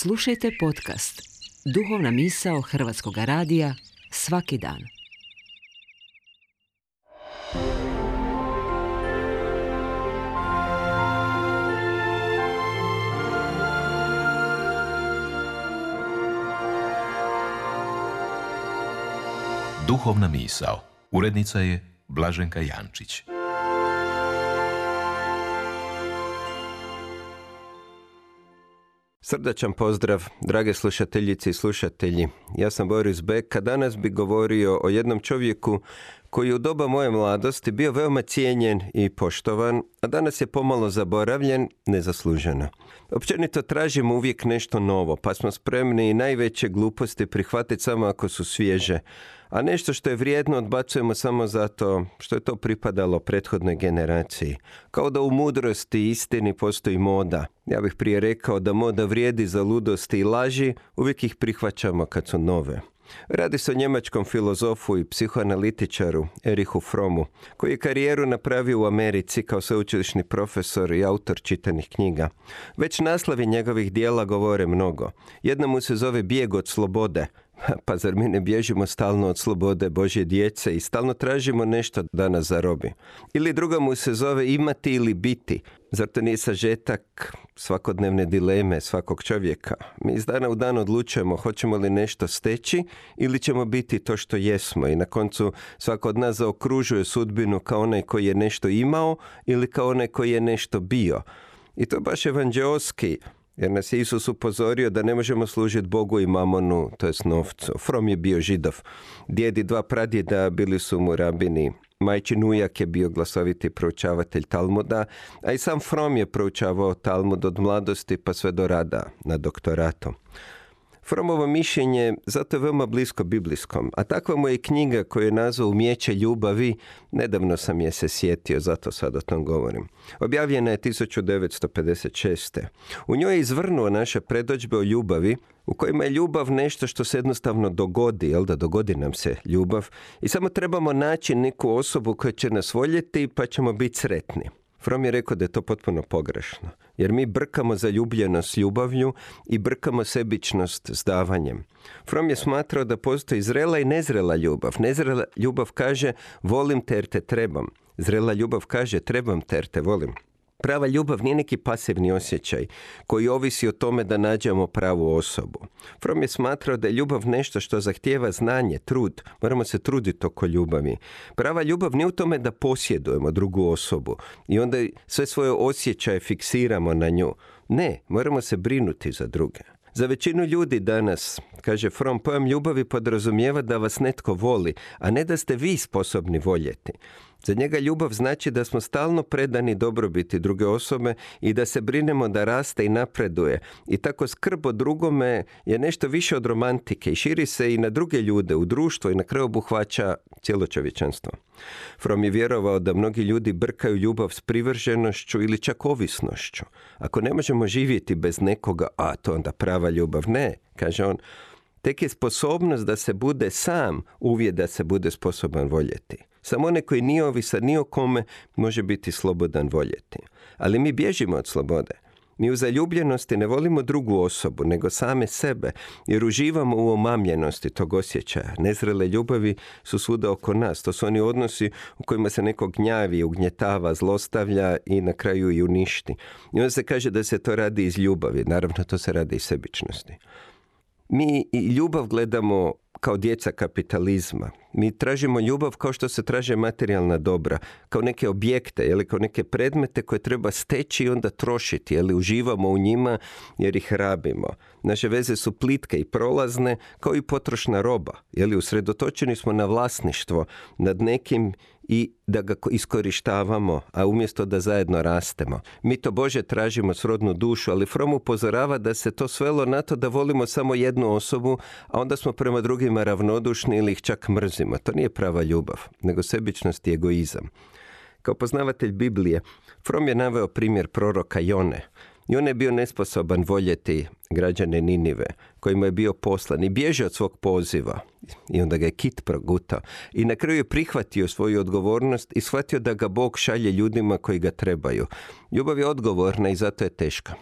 Slušajte podcast Duhovna misao Hrvatskog radija svaki dan. Duhovna misao. Urednica je Blaženka Jančić. Srdačan pozdrav, drage slušateljice i slušatelji. Ja sam Boris Bek, a danas bi govorio o jednom čovjeku koji je u doba moje mladosti bio veoma cijenjen i poštovan, a danas je pomalo zaboravljen, nezasluženo. Općenito tražimo uvijek nešto novo, pa smo spremni i najveće gluposti prihvatiti samo ako su svježe, a nešto što je vrijedno odbacujemo samo zato što je to pripadalo prethodnoj generaciji. Kao da u mudrosti i istini postoji moda. Ja bih prije rekao da moda vrijedi za ludosti i laži, uvijek ih prihvaćamo kad su nove. Radi se o njemačkom filozofu i psihoanalitičaru Erichu Frommu, koji je karijeru napravio u Americi kao sveučilišni profesor i autor čitanih knjiga. Već naslovi njegovih dijela govore mnogo. Jedna mu se zove Bijeg od slobode. Pa zar mi ne bježimo stalno od slobode Božje djece i stalno tražimo nešto da nas zarobi? Ili druga mu se zove Imati ili biti. Zar to nije sažetak svakodnevne dileme svakog čovjeka? Mi iz dana u dan odlučujemo hoćemo li nešto steći ili ćemo biti to što jesmo. I na koncu svako od nas zaokružuje sudbinu kao onaj koji je nešto imao ili kao onaj koji je nešto bio. I to je baš evanđeoski. Jer nas je Isus upozorio da ne možemo služiti Bogu i mamonu, to jest novcu. Fromm je bio Židov. Djed i dva pradjeda bili su mu rabini. Majčin ujak je bio glasoviti proučavatelj Talmuda, a i sam Fromm je proučavao Talmud od mladosti pa sve do rada na doktoratu. Frommovo mišljenje zato je veoma blisko biblijskom, a takva mu je knjiga koju je nazvao Umijeće ljubavi, nedavno sam je se sjetio, zato sad o tom govorim. Objavljena je 1956. U njoj je izvrnuo naše predodžbe o ljubavi, u kojima je ljubav nešto što se jednostavno dogodi, dogodi nam se ljubav i samo trebamo naći neku osobu koja će nas voljeti pa ćemo biti sretni. Fromm je rekao da je to potpuno pogrešno, jer mi brkamo zaljubljenost s ljubavlju i brkamo sebičnost s davanjem. Fromm je smatrao da postoji zrela i nezrela ljubav. Nezrela ljubav kaže volim te jer te trebam. Zrela ljubav kaže trebam te jer te volim. Prava ljubav nije neki pasivni osjećaj koji ovisi o tome da nađemo pravu osobu. Fromm je smatrao da je ljubav nešto što zahtijeva znanje, trud. Moramo se truditi oko ljubavi. Prava ljubav nije u tome da posjedujemo drugu osobu i onda sve svoje osjećaje fiksiramo na nju. Ne, moramo se brinuti za druge. Za većinu ljudi danas, kaže Fromm, pojam ljubavi podrazumijeva da vas netko voli, a ne da ste vi sposobni voljeti. Za njega ljubav znači da smo stalno predani dobrobiti druge osobe i da se brinemo da raste i napreduje. I tako skrb o drugome je nešto više od romantike i širi se i na druge ljude, u društvo i na kraju obuhvaća cijelo čovječanstvo. Fromm je vjerovao da mnogi ljudi brkaju ljubav s privrženošću ili čak ovisnošću. Ako ne možemo živjeti bez nekoga, a to onda prava ljubav. Ne, kaže on, tek je sposobnost da se bude sam uvjet da se bude sposoban voljeti. Samo onaj koji nije ovisan ni o kome može biti slobodan voljeti. Ali mi bježimo od slobode. Mi u zaljubljenosti ne volimo drugu osobu, nego same sebe, jer uživamo u omamljenosti tog osjećaja. Nezrele ljubavi su svuda oko nas. To su oni odnosi u kojima se neko gnjavi, ugnjetava, zlostavlja i na kraju i uništi. I onda se kaže da se to radi iz ljubavi. Naravno, to se radi iz sebičnosti. Mi i ljubav gledamo kao djeca kapitalizma. Mi tražimo ljubav kao što se traže materijalna dobra, kao neke objekte ili kao neke predmete koje treba steći i onda trošiti, ili uživamo u njima jer ih rabimo. Naše veze su plitke i prolazne kao i potrošna roba, ili usredotočeni smo na vlasništvo nad nekim i da ga iskorištavamo, a umjesto da zajedno rastemo. Mi to Bože tražimo srodnu dušu, ali Fromm upozorava da se to svelo na to da volimo samo jednu osobu, a onda smo prema drugima ravnodušni ili ih čak mrzimo. To nije prava ljubav, nego sebičnost i egoizam. Kao poznavatelj Biblije, Fromm je naveo primjer proroka Jone. Jona je bio nesposoban voljeti građane Ninive, kojima je bio poslan i bježao od svog poziva. I onda ga je kit progutao. I na kraju je prihvatio svoju odgovornost i shvatio da ga Bog šalje ljudima koji ga trebaju. Ljubav je odgovorna i zato je teška.